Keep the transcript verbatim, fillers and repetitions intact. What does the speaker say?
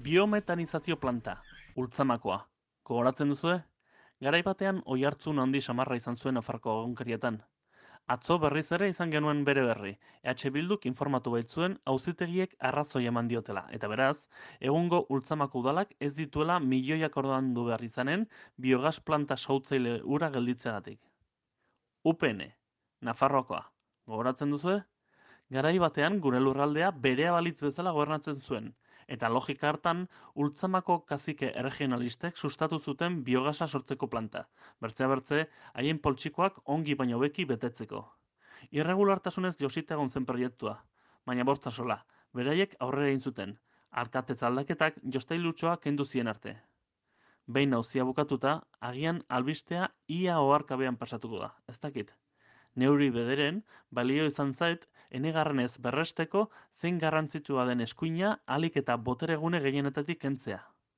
Biometanizazio planta, Ultzamakoa. Gogoratzen duzue? Garai batean oihartzun handi samarra izan zuen Nafarroako egunkarietan. Atzo berriz ere izan genuen bere berri. E H Bilduk informatu baitzuen auzitegiek arrazoi eman diotela. Eta beraz, egungo Ultzamako udalak ez dituela milioiak ordaindu behar izanen biogas planta sautzaile ura gelditzeagatik. U P N, Nafarroakoa. Gogoratzen duzue? Garai batean gure lurraldea berea balitz bezala gobernatzen zuen, eta logika hartan Ultzamako kazike erregionalistek sustatu zuten biogasa sortzeko planta, bertzea bertze haien poltsikoak ongi baino beki betetzeko. Irregulartasunez josita egon zen proiektua, baina bosta sola, beraiek aurrera egin zuten, alkatetz aldaketak jostailutxoa kendu zien arte. Behin nauzia bukatuta, agian albistea ia oharkabean pasatuko da, ez dakit. Neuri bederen, balio izan zait, enegarrenez berresteko zein garrantzitsua den eskuina ahalik eta boteregune gehienetatik kentzea.